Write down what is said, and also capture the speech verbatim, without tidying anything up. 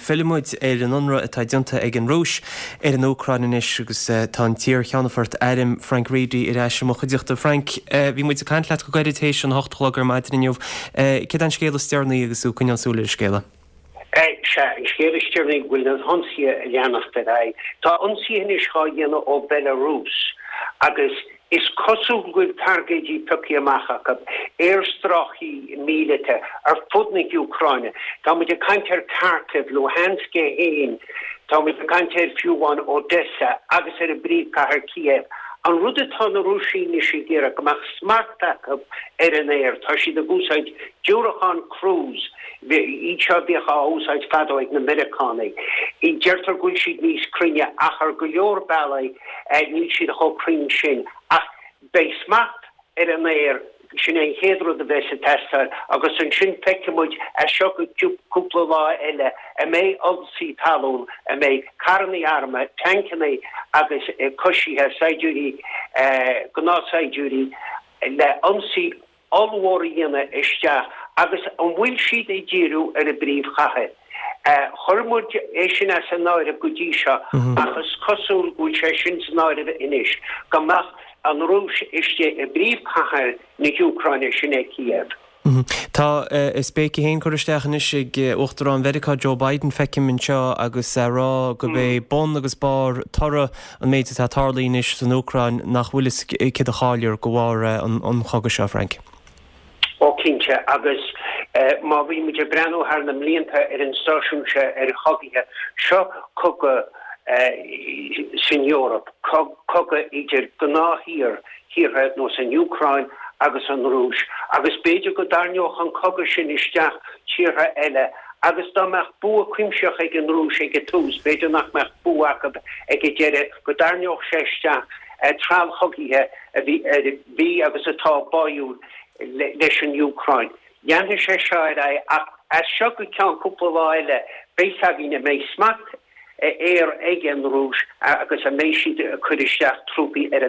Fillfidh muid ar an ionradh atá déanta ag an Rúis ar an Úcráin anois agus tá an t-iar-cheannfort airm Frank Reidy ar ais i mo chuideachta. Frank, bhí muid ag caint leat go gairid théis an hocht a chlog ar maidin inniu. Céard é an scéal is deireanaí agus tú ag coinneáil súil ar an scéala? Sea, an scéal is deireanaí go bhfuil na hionsaithe ag leanacht ar aghaidh. Tá ionsaithe anois á dhéanamh ó Belarus agus Is cosúil go bhfuil targaidí pioctha amach acu, aerstráicí míleata ar fud na hÚcráine. Tá muid ag caint ar Kharkiv, Luhansk é féin, tá muid ag caint ar fiú amháin Odessa agus ar an bpríomhchathair Kiev. An rud atá na Rúisigh anois ag iarraidh, go mbeadh smacht acu ar an aer. Tá siad ag úsáid diúracáin cruise, iad seo a bhíodh á úsáid fadó ag na Meiriceánaigh. Deirtear go bhfuil siad níos cruinne ach ar go leor bealaí níl siad chomh cruinn sin. Ach beidh smacht ar an aer, sin é an chéad rud a bheas ag teastáil agus ansin feicfidh muid as seo go cúpla lá eile an mbeidh ionsaí talún, an mbeidh carrannaí armtha, tancannaí agus coisithe, saighdiúirí, gnáthshaighdiúirí le ionsaí ollmhór a dhéanamh isteach agus an bhfuil siad ag díriú ar an bpríomhchathair? Chuir muid é sin as an áireamh go dtí seo ach is cosúil go bhfuil sé sin san áireamh anois, go mbeadh an Rúis istigh i bpríomhchathair na hÚcráine, sin é Kiev. Tá a spéice féin curtha isteach anois ag Uachtarán Mheiriceá Joe Biden, feicim anseo, agus é ag rá gurb é bun agus barr toradh an méid atá tarlaithe anois san Úcráin nach bhfuil fhios céard a chaillfear de bharr an chogaidh seo, Frank. Ó cinnte, agus má bhí muid ag breathnú thar na mblianta ar an stáisiún seo ar chogaithe, seo cogadh san Eoraip, cogadh idir gnáth-thír, thíortha ar nós an Úcráin agus an Rúis, agus b'fhéidir go dtarraingeodh an cogadh sin isteach tíortha eile agus dá mbeadh bua cuimsitheach ag an Rúis ag an tús, b'fhéidir nach mbeadh bua acu ag an deireadh, go dtarraingeodh sé isteach treallchogaithe a bhí agus atá báúil leis an Úcráin. Leanfaidh sé seo ar aghaidh ach as seo go ceann cúpla lá eile beidh fhios againn an mbeidh smacht aeir ag an Rúis agus an mbeidh siad ag cur isteach trúpaí ar an